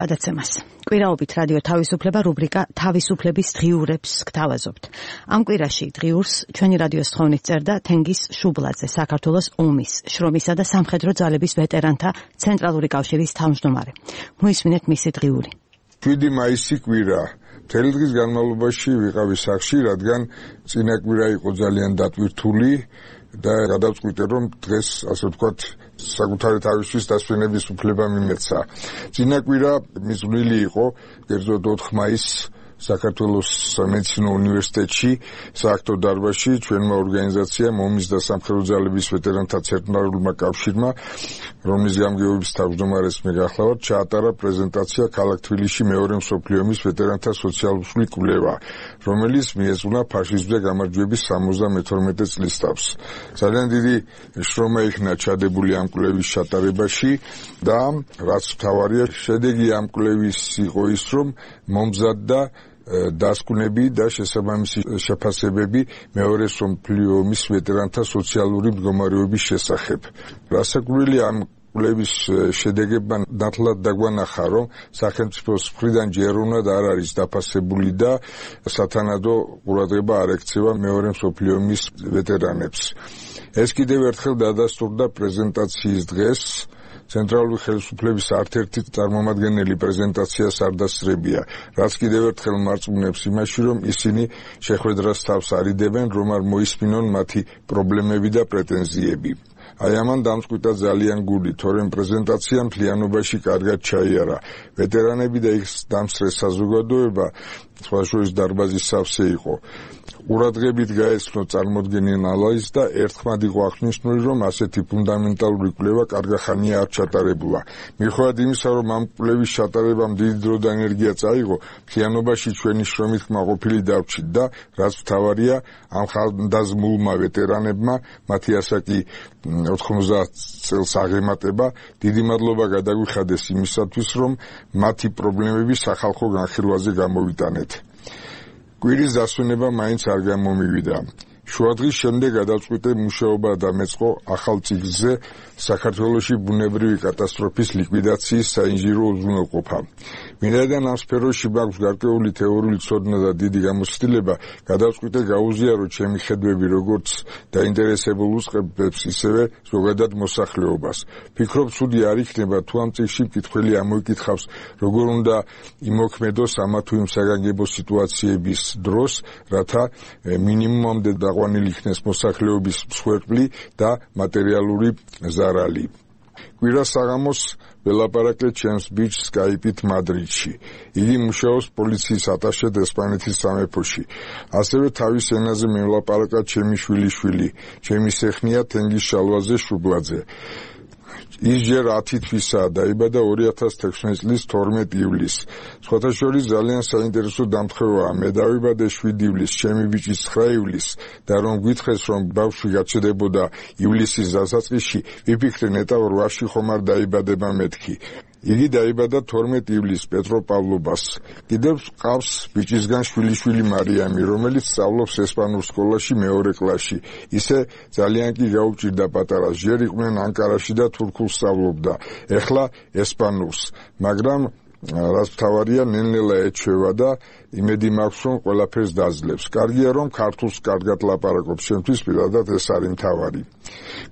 გადაცემას. კვირაობით რადიო თავისუფლება რუბრიკა თავისუფლების დღიურებს გთავაზობთ. ამ კვირაში დღიურს ჩვენი რადიოს თხოვნით წერდა თენგიზ შუბლაძე, საქართველოს ომის, შრომისა და სამხედრო ძალების ვეტერანთა ცენტრალური კავშირის თავმჯდომარე. მოისმინეთ მისი დღიური. 7 მაისი კვირა. მთელი დღის განმავლობაში ვიყავი სახლში, რადგან წინა კვირა იყო ძალიან დატვირთული და გადავწყვიტე, რომ დღეს, ასე ვთქვათ, საკუთარი თავისთვის დასვენების უფლება მიმეცა. წინა კვირა მიზნული იყო, კერძოდ 4 მაისს საქართველოს სამედიცინო უნივერსიტეტში, სააქტო დარბაზში ჩვენმა ორგანიზაციამ ომის და სამხედრო ძალების ვეტერანთა ცენტრალურმა კავშირმა, რომლის გამგეობის თავმჯდომარეს მე გახლავართ, ჩაატარა პრეზენტაცია ქალაქ თბილისში მეორე მსოფლიო ომის ვეტერანთა სოციალური კვლევა, რომელიც მიეძღვნა ფაშიზმზე გამარჯვების 72 წლის თავს. ძალიან დიდი შრომა იქნა ჩადებული ამ კვლევის ჩატარებაში და რაც მთავარია, შედეგი ამ კვლევის იყო ის, რომ მომზადდა დასკვნები და შესაბამისი შეფასებები მეორე მსოფლიო ომის ვეტერანთა სოციალური მდგომარეობის შესახებ. რასაკვირველია, ამ კვლევის შედეგებმა ნათლად დაგვანახა, რომ სახელმწიფოს მხრიდან ჯეროვნად არ არის დაფასებული და სათანადო ყურადღება არ ექცევა მეორე მსოფლიო ომის ვეტერანებს. ეს კიდევ ერთხელ დადასტურდა პრეზენტაციის დღეს. ცენტრალური ხელისუფლების არც-ერთი წარმომადგენელი პრეზენტაციას არ დასწრებია, რაც კიდევ ერთხელ მარწმუნებს იმაში, რომ ისინი შეხვედრას თავს არიდებენ, რომ არ მოისმინონ მათი პრობლემები და პრეტენზიები. აი ამან დამწყვიტა ძალიან გული, თორემ პრეზენტაცია მთლიანობაში კარგად ჩაიარა. ვეტერანები და ის დამსწრე საზოგადოება, სხვა შორის დარბაზის სავსე იყო. ყურადღებით გაეცნო წარმოდგენილ ანალიზს და ერთხმად იყო აღნიშნული, რომ ასეთი ფუნდამენტალური კვლევა კარგი ხანია არ ჩატარებულა. მიუხედავად იმისა, რომ ამ კვლევის ჩატარებამ დიდი დრო და ენერგია წაიღო, მთლიანობაში ჩვენი შრომით კმაყოფილი დავჭით და რაც მთავარია, ამ ხალხდაზმულმა ვეტერანებმა, მათი ასაკი 90 წელს აღემატება, დიდი მადლობა გადაგვიხადეს იმისათვის, რომ მათი პრობლემები სახალხო განხილვაზე გამოვიტანეთ. კვირის დასვენება მაინც არ გამომივიდა. შუადღის შემდეგ გადავწყვიტე მუშაობა დამეწყო ახალ წიგნზე საქართველოში ბუნებრივი კატასტროფის ლიკვიდაციის საინჟინრო უზრუნველყოფა. ვინაიდან ამ სფეროში მაქვს გარკვეული თეორიული ცოდნა და დიდი გამოცდილება, გადავწყვიტე გაუზიარო ჩემი ხედვები როგორც დაინტერესებულ უწყებებს, ისევე ზოგადად მოსახლეობას. ვფიქრობ, ცუდი არ იქნება, თუ ამ წიგნში მკითხველი ამოიკითხავს, როგორ უნდა იმოქმედოს ამა თუ იმ საგანგებო სიტუაციების დროს, რათა მინიმუმამდე დაყვანილი იქნეს მოსახლეობის მსხვერპლი და მატერიალური ზარალი. კვირას საღამოს ველაპარაკე ჩემს ბიჭს სკაიპით მადრიდში. იგი მუშაობს პოლიციის ატაშედ ესპანეთის სამეფოში. ასევე თავის ენაზე მევლაპარაკა ჩემი შვილიშვილი, ჩემი სეხნია თენგიზ შალვაზე შუბლაძე. ის ჯერ 10 თვისაა, დაიბადა 2016 წლის 12 ივლისს. სხვათა შორის ძალიან საინტერესო დამთხევაა. მე დავიბადე 7 ივლისს, ჩემი ბიჭი 9 ივლისს და რომ გითხრეს, რომ ბავშვი გაჩერდებოდა ივლისის დასაწყისში, ვიფიქრე ნეტავ 8-ში ხომ არ დაიბადება მეთქი. იგი დაიბადა 12 ივლისს პეტროპავლობას. კიდევ ყავს ბიჭისგან შვილიშვილი მარიამი, რომელიც სწავლობს ესპანურ სკოლაში მეორე კლასში. ისე ძალიან კი გაუჭირდა პატარას. ჯერ იყვნენ ანკარაში და თურქულს სწავლობდა. ეხლა ესპანურს, მაგრამ რაც მთავარია, ნელ-ნელა ეჩვევა და იმედი მაქვს, რომ ყველაფერს დაძლევს. კარგია, რომ ქართულს კარგად ლაპარაკობს, შემთთვის პირადად ეს არის მთავარი.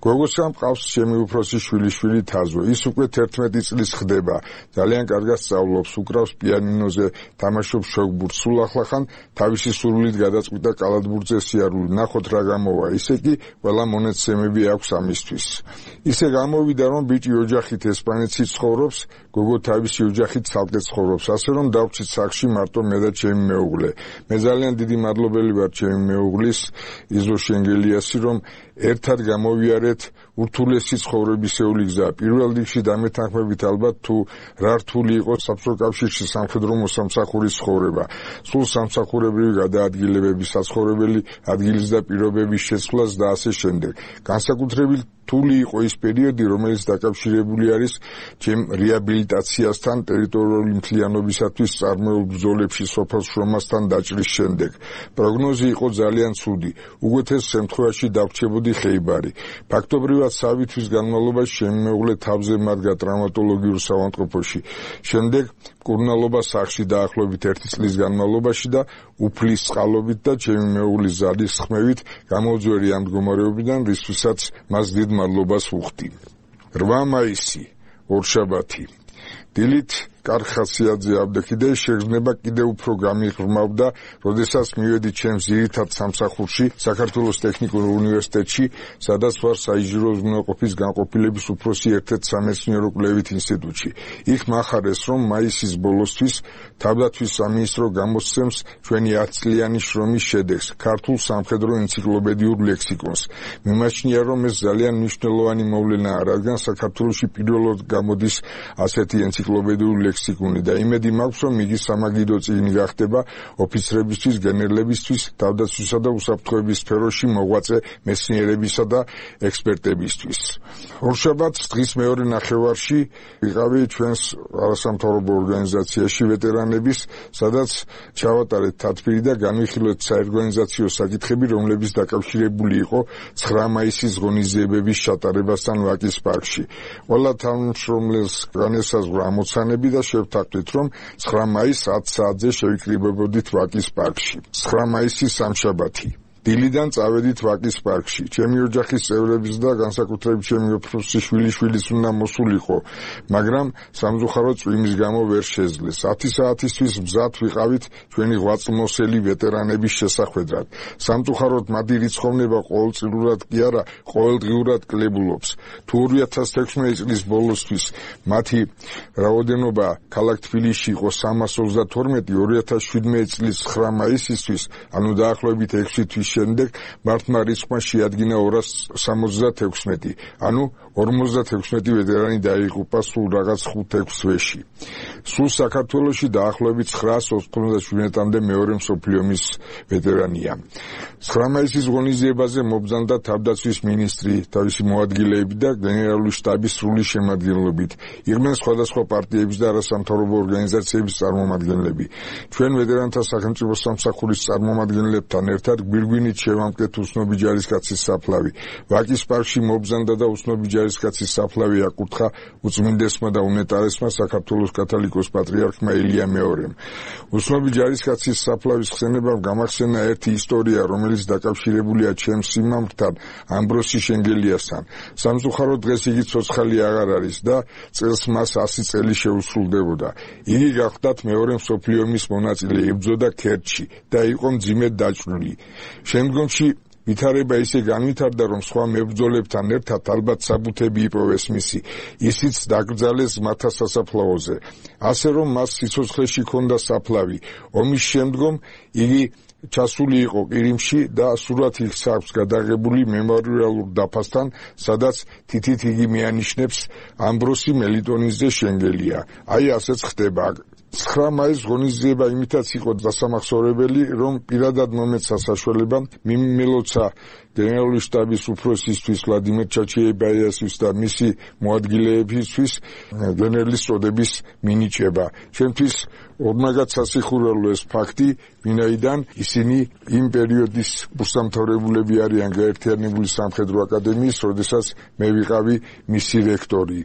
გოგოსამ ყავს ჩემი უფროსი შვილიშვილი თაზო. ის უკვე 11 წლის ხდება. ძალიან კარგად სწავლობს, უკრავს პიანინოზე, თამაშობს შოგბურთს. სულ ახლახან თავისი სურვილით გადაწყვიტა კალათბურთზე სიარული. ნახოთ რა გამოვა. ისე კი ყველა მონაცემები აქვს ამისთვის. ისე გამოვიდა, რომ ბიჭი ოჯახით ესპანეთში ცხოვრობს, გოგო თავისი ოჯახით ცალკე ცხოვრობს. ასე რომ დავჭით სახლში მარტო მე და ჩემი მეუღლე. მე ძალიან დიდი მადლობელი ვარ ჩემი მეუღლის იზო შენგელიასი, რომ ერთად გამოვიარეთ ურთულესი ცხოვრებისეული გზა. პირველ რიგში დამეთანხმებით ალბათ თუ რა რთული იყო საბჭოთა კავშირში სამხედრო მოსამსახურის ცხოვრება. სულ სამსახურებრივი გადაადგილებები, საცხოვრებელი ადგილის და პირობების შეცვლას და ასე შემდეგ. განსაკუთრებით რთული იყო ის პერიოდი, რომელიც დაკავშირებული არის ჩემ რეაბილიტაციასთან, ტერიტორიული მთლიანობისათვის წარმოებულ ბრძოლებში სოფელ შრომასთან დაჭრის შემდეგ. პროგნოზი იყო ძალიან ცუდი. უგეთეს შემთხვევაში დავრჩებოდი ხეიბარი. ფაქტობრივად პირველად სამი თვის განმავლობაში ჩემი მეუღლე თავზე მარგა ტრaumatologიურ საავადმყოფოში. შემდეგ მკურნალობა სახლში დაახლოებით 1 წლის განმავლობაში და უფლის წყალობით და ჩემი მეუღლის ზადის ხმევით გამოუძვერი ამ მდგომარეობიდან, რისთვისაც მას დიდ მადლობას ვუხდი. 8 მაისი, ორშაბათი. დილით კარხასიაძე აბდექიდე შეგრძნება კიდევ უფრო გამიღრმავდა, როდესაც მივედი ჩემს ძირითად სამსახურში, საქართველოს ტექნიკურ უნივერსიტეტში, სადაც ვარ საინჟინრო უზრუნველყოფის განყოფილების უფროსი ერთ-ერთ სამეცნიერო კვლევით ინსტიტუტში. იქ მახარეს, რომ მაისის ბოლოსთვის თავდაცვის სამინისტრო გამოსცემს ჩვენი 10 წლიანი შრომის შედეგს, ქართულ სამხედრო ენციკლოპედიურ ლექსიკონს. მიმაჩნია, რომ ეს ძალიან მნიშვნელოვანი მოვლენაა, რადგან საქართველოში პირველად გამოდის ასეთი ენციკლოპედიური ლექსიკონი და იმედი მაქვს, რომ იგი სამაგიდო წიგნი გახდება ოფიცრებისთვის, გენერლებისთვის, თავდაცვისა და უსაფრთხოების სფეროში მოღვაწე მეცნიერებისა და ექსპერტებისთვის. ორშაბათს დღის მეორე ნახევარში ვიყავი ჩვენს არასამთავრობო ორგანიზაციაში ვეტერანების, სადაც ჩავატარეთ თათბირი და განვიხილოთ საორგანიზაციო საკითხები, რომლებიც დაკავშირებული იყო 9 მაისის ღონისძიებების ჩატარებასთან ვაკის პარკში. ყველა თანამშრომელს განესაზღვრა ამოცანები და შევთანხმდით, რომ 9 მაისს 10 საათზე შევიკრიბებოდით ვაკის პარკში. 9 მაისი სამშაბათი. დილიდან წავედით ვაკის პარკში. ჩემი ოჯახის წევრების და განსაკუთრებით ჩემი უფროსი შვილიშვილის უნდა მოსულიყო, მაგრამ სამწუხაროდ წვიმის გამო ვერ შეძლეს. 10 საათისთვის მზად ვიყავით ჩვენი ღვაწლმოსელი ვეტერანების შესახვედრად. სამწუხაროდ მათი რიცხოვნება ყოველწლიურად კი არა, ყოველდღიურად კლებულობს. თუ 2016 წლის ბოლოსთვის მათი რაოდენობა ქალაქ თბილისში იყო 332, 2017 წლის 9 მაისისთვის, ანუ დაახლოებით 6 თვის შემდეგ მართმა რიცხვმა შეადგინა 276, ანუ 56 ვეტერანი დაიღუპა სულ რაღაც 5-6 თვეში. სულ საქართველოში დაახლოებით 997-მდე მეორე მსოფლიო ომის ვეტერანია. 9 მაისის ღონისძიებაზე მობრძანდა თავდაცვის მინისტრი, თავისი მოადგილეები და გენერალური შტაბის სრული შემადგენლობით. იყვნენ სხვადასხვა პარტიების და არასამთავრობო ორგანიზაციების წარმომადგენლები. ჩვენ ვეტერანთა სახელმწიფო სამსახურის წარმომადგენლებთან ერთად გვირგვინით შევამტკეთ უცნობი ჯარისკაცის საფლავი. ვაკის პარკში მობრძანდა და უცნობი ჯარისკაცის საფლავი აკურთხა უწმინდესმა და უნეტარესმა საქართველოს კათოლიკოს პატრიარქმა ილია მეორემ. უცნობი ჯარისკაცის საფლავის ხსენებამ გამახსენა ერთი ისტორია, რომელიც დაკავშირებულია ჩემს სიმამრთან, ამბროსი შენგელიასთან. სამწუხაროდ დღეს იგი ცოცხალი აღარ არის და წელს მას 100 წელი შეუსრულდებოდა. იგი გახლდათ მეორე მსოფლიო ომის მონაწილე, იბრძოდა ქერჩში და იყო მძიმედ დაჭრილი. შემდგომში ვითარება ისე განვითარდა, რომ სხვა მებრძოლებთან ერთად ალბათ საბუთები იპოვეს მისი. ისიც დაკრძალეს მათთა სასაფლაოზე. ასე რომ მას სიცოცხლეში ჰქონდა საფლავი. ომის შემდგომ იგი ჩასული იყო ყირიმში და სურათი აქვს გადაღებული მემორიალურ დაფასთან, სადაც თითით იგი მიანიშნებს ამბროსი მელიტონიძე შენგელია. აი ასეც ხდება. 9 მაისის ღონისძიება იმითაც იყო დასამახსოვრებელი, რომ პირადად მომეცა საშუალება მიმილოცა გენერალური შტაბის უფროსისთვის ვლადიმერ ჩაჩიებაიასის და მისი მოადგილეებისთვის გენერლის წოდების მინიჭება. ჩემთვის ორმაგად სასიხურელო ეს ფაქტი, ვინაიდან ისინი იმ პერიოდის კურსდამთავრებულები არიან გაერთიანებული სამხედრო აკადემიის, როდესაც მე ვიყავი მისი რექტორი.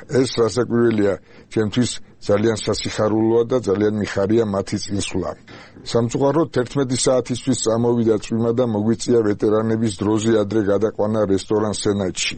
ეს რასაკვირველია, ჩემთვის ძალიან სასიხარულოა და ძალიან მიხარია მათი წინსვლა. სამწუხაროდ 11 საათისთვის წამოვიდა წვიმა და მოგვიწია ვეტერანების დროზე ადრე გადაყვანა რესტორან სენატში,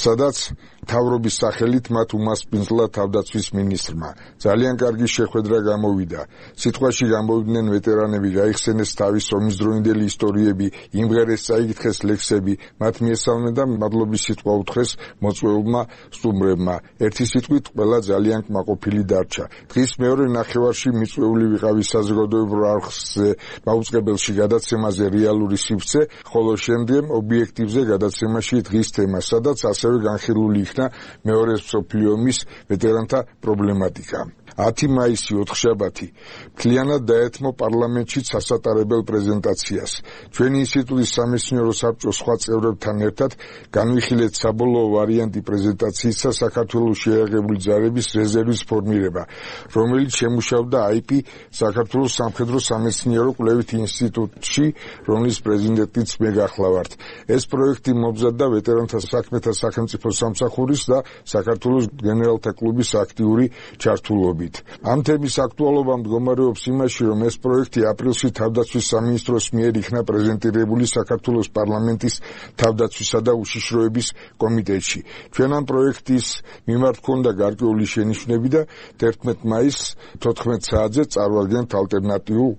სადაც მთავრობის სახელით მათ უმასპინძლა თავდაცვის მინისტრმა. ძალიან კარგი შეხვედრა გამოვიდა. სიტყვაში გამოვიდნენ ვეტერანები, გაიხსენეს თავის ომისდროინდელი ისტორიები, იმღერეს წაიკითხეს ლექსები, მათ მიესალმნენ და მადლობის სიტყვა უთხრეს მოწვეულმა სტუმრებმა. ერთი სიტყვით ყველა ძალიან კმაყოფილი დარჩა. დღის მეორე ნახევარში მიწვეული ვიყავი საზოგადოებრივ არხზე მაუწყებელში გადაცემაზე რეალური სივრცე, ხოლო შემდგომ ობიექტივზე გადაცემაში დღის თემა, სადაც ასევე განხილული იქნა მეორე მსოფლიო ომის ვეტერანთა პრობლემატიკა. 10 მაისი ოთხშაბათი მთლიანად დაეთმო პარლამენტში სასატარებელ პრეზენტაციას. ჩვენი ინსტიტუტის სამეცნიერო საბჭოს სხვა წევრებთან ერთად განვიხილეთ საბოლოო ვარიანტი პრეზენტაციისა საქართველოს შეიარაღებული ძალების რეზერვის ფორმირება. განყოფილება, რომელიც შემუშავდა IP საქართველოს სამხედრო სამეცნიერო კვლევით ინსტიტუტში, რომლის პრეზიდენტიც მე გახლავართ. ეს პროექტი მომზადდა ვეტერანთა საქმეთა სახელმწიფო სამსახურის და საქართველოს გენერალთა კლუბის აქტიური ჩართულობით. ამ თემის აქტუალობა მდგომარეობს იმაში, რომ ეს პროექტი აპრილში თავდაცვის სამინისტროს მიერ იქნა პრეზენტირებული საქართველოს პარლამენტის თავდაცვისა და უშიშროების კომიტეტში. ჩვენ ამ პროექტის მიმართ ჰქონდა გარკვეული შენიშვნები და 11 მაისს 14 საათზე წარვაგდენთ ალტერნატიულ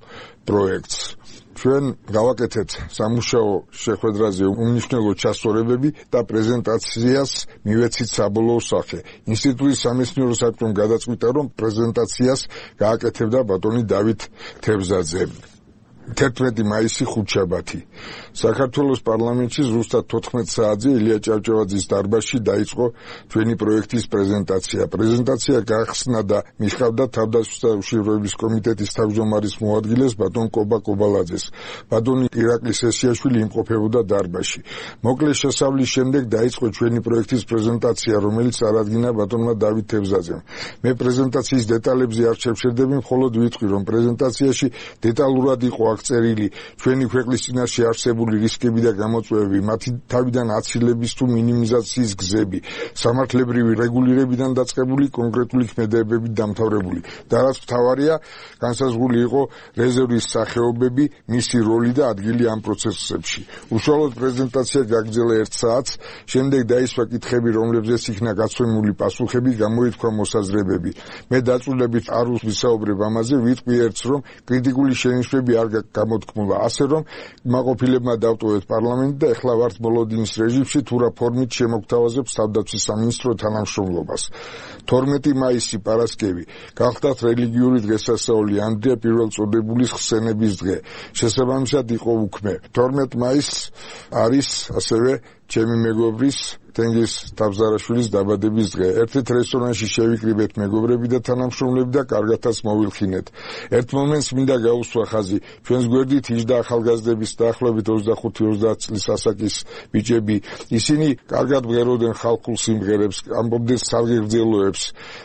პროექტს. ჩვენ გავაკეთეთ სამუშაო შეხვედრაზე უმნიშვნელო ჩასწორებები და პრეზენტაციას მივეცით საბოლოო სახე. ინსტიტუტის სამეცნიერო საბჭომ გადაწყვიტა, რომ პრეზენტაციას გააკეთებდა ბატონი დავით თევზაძე. 11 მაისი ხუთშაბათი. საქართველოს პარლამენტში ზუსტად 14 საათზე ილია ჭავჭავაძის დარბაზში დაიწყო ჩვენი პროექტის პრეზენტაცია. პრეზენტაცია გახსნა და მიხავდა თავდაცვის და უშიშროების კომიტეტის თავმჯდომარის მოადგილეს ბატონ კობა კობალაძეს. ბატონი ირაკლი სესიაშვილი იმყოფებოდა დარბაზში. მოკლე შესავლის შემდეგ დაიწყო ჩვენი პროექტის პრეზენტაცია, რომელიც წარადგინა ბატონმა დავით თევზაძემ. მე პრეზენტაციის დეტალებზე არ შევშერდები, მხოლოდ ვიტყვი, რომ პრეზენტაციაში დეტალურად იყო წერილი ჩვენი ქვეყნის წინაშე არსებული რისკები და გამოწვევები, მათი თავიდან აცილების თუ მინიმიზაციის გზები, სამართლებრივი რეგულირებიდან დაწყებული კონკრეტული ქმედებებით დამთავრებული. და რაც მთავარია, განსაზღვრული იყო რეზერვის სახეობები, მისი როლი და ადგილი ამ პროცესებში. უშუალოდ პრეზენტაცია გაგრძელა 1 საათს, შემდეგ დაისვა კითხები, რომლებზეც იქნა გაცემული პასუხები, გამოითქვა მოსაზრებები. მე დაწვრილებით არ ვისაუბრებ ამაზე, ვიტყვი ერთს, რომ კრიტიკული შენიშვნები არ გამოთქმულა, ასე რომ მაყოფილებმა დავტოვეთ პარლამენტი და ეხლა ვართ მოლოდინის რეჟიმში, თუ რა ფორმით შემოგთავაზებს თავდაცვის სამინისტრო თანამშრომლობას. 12 მაისი პარასკევი გახდათ რელიგიური დღესასწაული, ანდრია პირველწოდებულის ხსენების დღე. შესაბამისად იყო უქმე. 12 მაისს არის ასევე ჩემი მეგობრის თენგიზ თავზარაშვილის დაბადების დღე. ერთით რესტორანში შევიკრიბეთ მეგობრები და თანამშრომლები და კარგათაც მოვილხინეთ. ერთ მომენტს მინდა გაუსვა ხაზი. ჩვენს გვერდით იჯდა ახალგაზრდების დაახლოებით 25-30 წლის ასაკის ბიჭები. ისინი კარგად მღეროდნენ ხალხურ სიმღერებს, ამბობდნენ სარგეგრძელოებს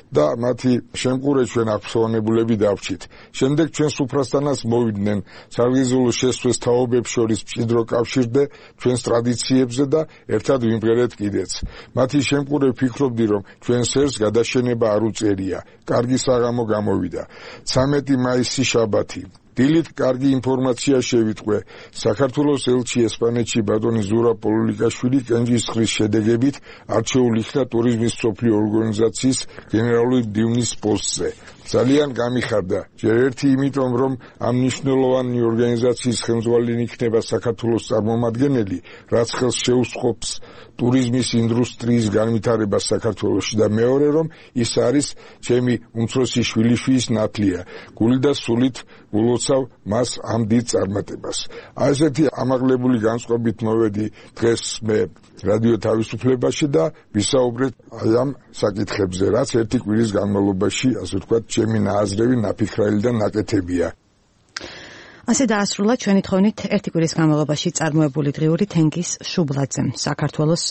და მათი შემყურე ჩვენ აღფრთოვანებულები დავრჩით. შემდეგ ჩვენ სუფრასთანაც მოვიდნენ. სარგეგრძელო შესწვეს თაობებს შორის მჭიდრო კავშირდე ჩვენს ტრადიციებზე და ერთად ვიმღერეთ კიდეც. მათი შემყურე ვფიქრობდი, რომ ჩვენ სერს გადაშენება არ უწერია. კარგი საღამო გამოვიდა. 13 მაისი შაბათი. დილით კარგი ინფორმაცია შევიტყვე. საქართველოს ელჩი ესპანეთში ბატონი ზურაბ პოლულიკაშვილი კენჭისყრის შედეგებით არჩეულ იქნა ტურიზმის მსოფლიო ორგანიზაციის გენერალური მდივნის პოსტზე. ძალიან გამიხარდა. ჯერ ერთი იმიტომ, რომ ამ მნიშვნელოვანი ორგანიზაციის ხელმძღვანელი იქნება საქართველოს წარმომადგენელი, რაც ხელს შეუსხობს ტურიზმის ინდუსტრიის განვითარებას საქართველოში და მეორე, რომ ის არის ჩემი უმცროსი შვილიშვილის ნათლია. გული და სულით ულოცავ მას ამ დიდ წარმატებას. ასეთი ამაღლებული განწყობით მოვედი დღეს მე რადიო თავისუფლებაში და ვისაუბრეთ აი ამ საკითხებზე, რაც ერთი კვირის განმავლობაში, ასე ვთქვათ, ჩემი ნააზრევი, ნაფიქრალი და ნაკეთებია. ასე დაასრულა ჩვენი თხოვნით ერთი კვირის განმავლობაში წარმოებული დღიური თენგიზ შუბლაძემ, საქართველოს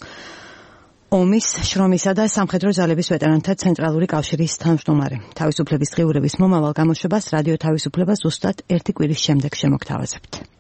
ომის, შრომისა და სამხედრო ძალების ვეტერანთა ცენტრალური კავშირის თავმჯდომარე. თავისუფლების დღიურების მომავალ გამოშვებას რადიო თავისუფლება ზუსტად ერთი კვირის შემდეგ შემოგთავაზებთ.